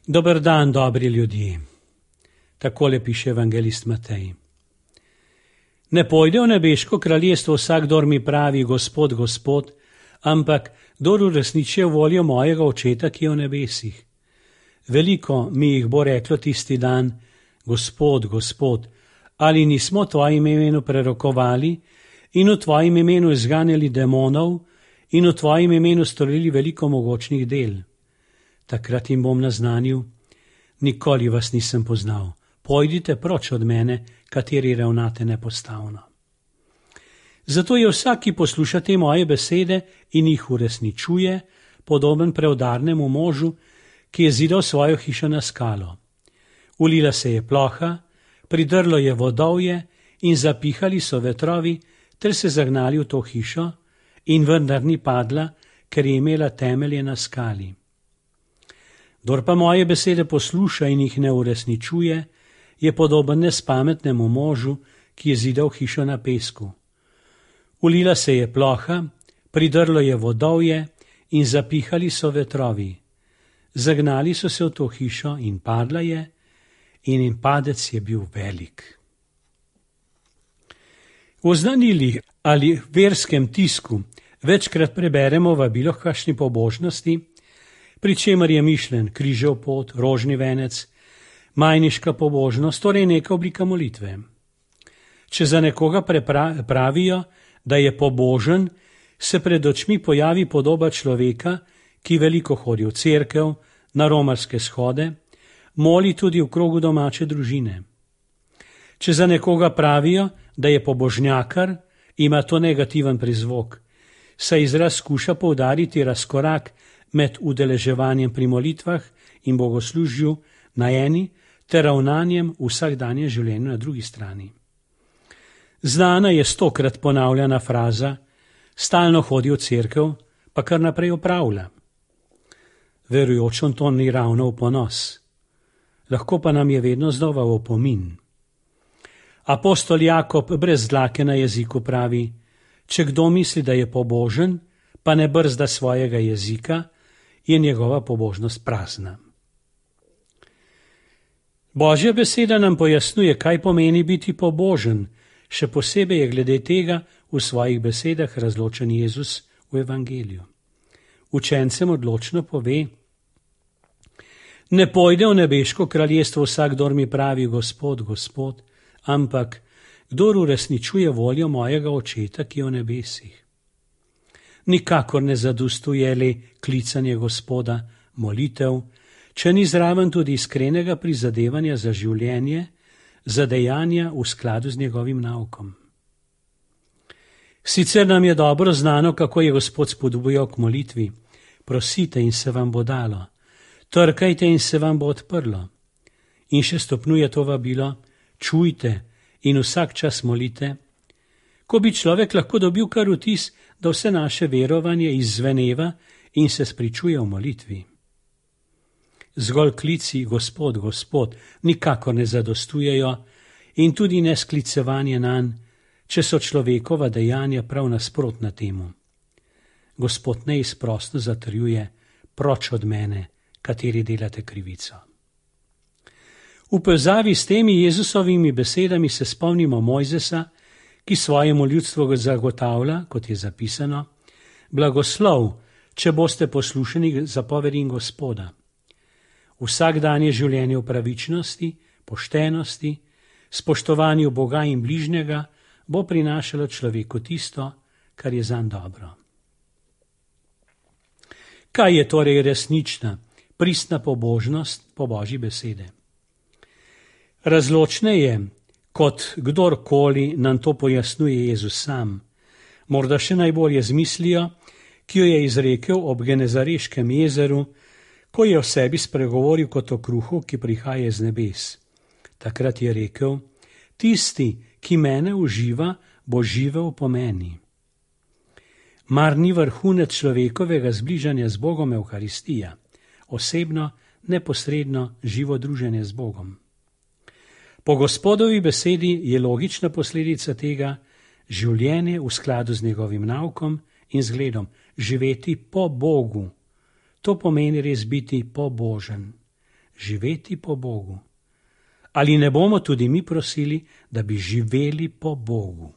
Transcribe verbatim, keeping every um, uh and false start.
Dober dan, dobri ljudje. Takole piše evangelist Matej. Ne pojde v nebeško kraljestvo vsak, kdor mi pravi Gospod, Gospod, ampak kdor uresničuje voljo mojega Očeta, ki je v nebesih. Veliko mi jih bo reklo tisti dan: Gospod, Gospod, ali nismo v tvojem imenu prerokovali in v tvojem imenu izganjali demonov in v tvojem imenu storili veliko mogočnih del? Takrat jim bom naznanil: nikoli vas nisem poznal, pojdite proč od mene, kateri ravnate nepostavno. Zato je vsak, ki posluša te moje besede in jih uresničuje, podoben preudarnemu možu, ki je zidal svojo hišo na skalo. Ulila se je ploha, pridrlo je vodovje in zapihali so vetrovi ter se zagnali v to hišo, in vendar ni padla, ker je imela temelje na skali. Kdor pa moje besede posluša in jih ne uresničuje, je podoben nespametnemu možu, ki je zidal hišo na pesku. Ulila se je ploha, pridrlo je vodovje in zapihali so vetrovi. Zagnali so se v to hišo in padla je, in in padec je bil velik. V oznanilih ali verskem tisku večkrat preberemo vabilo k kakšni pobožnosti, pri čemer je mišljen križev pot, rožni venec, majniška pobožnost, torej neka oblika molitve. Če za nekoga pravijo, da je pobožen, se pred očmi pojavi podoba človeka, ki veliko hodi v cerkev, na romarske shode, moli tudi v krogu domače družine. Če za nekoga pravijo, da je pobožnjakar, ima to negativen prizvok, saj izraz skuša poudariti razkorak med udeleževanjem pri molitvah in bogoslužju na eni ter ravnanjem v vsakdanjem življenju na drugi strani. Znana je stokrat ponavljana fraza: stalno hodi v cerkev, pa kar naprej opravlja. Verujočom to ni ravno v ponos, lahko pa nam je vedno znova v opomin. Apostol Jakob brez dlake na jeziku pravi: če kdo misli, da je pobožen, pa ne brzda svojega jezika, je njegova pobožnost prazna. Božja beseda nam pojasnjuje, kaj pomeni biti pobožen, še posebej je glede tega v svojih besedah razločen Jezus v evangeliju. Učencem odločno pove: ne pojde v nebeško kraljestvo vsak, kdor mi pravi Gospod, Gospod, ampak kdor uresničuje voljo mojega Očeta, ki je v nebesih. Nikakor ne zadostuje le klicanje Gospoda, molitev, če ni zraven tudi iskrenega prizadevanja za življenje, za dejanja v skladu z njegovim naukom. Sicer nam je dobro znano, kako je Gospod spodbujal k molitvi: prosite in se vam bo dalo, trkajte in se vam bo odprlo. In še stopnjuje to vabilo: čujte in vsak čas molite. Ko bi človek lahko dobil kar vtis, da vse naše verovanje izzveneva in se spričuje v molitvi. Zgolj klici Gospod, Gospod nikakor ne zadostujejo in tudi ne sklicevanje nanj, če so človekova dejanja prav nasprotna temu. Gospod neizprosno zatrjuje: proč od mene, kateri delate krivico. V povezavi s temi Jezusovimi besedami se spomnimo Mojzesa, ki svojemu ljudstvu zagotavlja, kot je zapisano: blagoslov, če boste poslušani zapovedim Gospoda. Vsakdanje življenje v pravičnosti, poštenosti, spoštovanju Boga in bližnjega bo prinašalo človeku tisto, kar je zanj dobro. Kaj je torej resnična, pristna pobožnost po Božji besede? Razločneje, kot kdorkoli nam to pojasnjuje Jezus sam, morda še najbolje z mislijo, ki jo je izrekel ob Genezareškem jezeru, ko je o sebi spregovoril kot o kruhu, ki prihaja z nebes. Takrat je rekel: tisti, ki mene uživa, bo živel po meni. Mar ni vrhunec človekovega zbližanja z Bogom Evharistija, osebno, neposredno živo druženje z Bogom? Po Gospodovi besedi je logična posledica tega življenje v skladu z njegovim naukom in zgledom, živeti po Bogu. To pomeni res biti pobožen. živeti po Bogu. Ali ne bomo tudi mi prosili, da bi živeli po Bogu?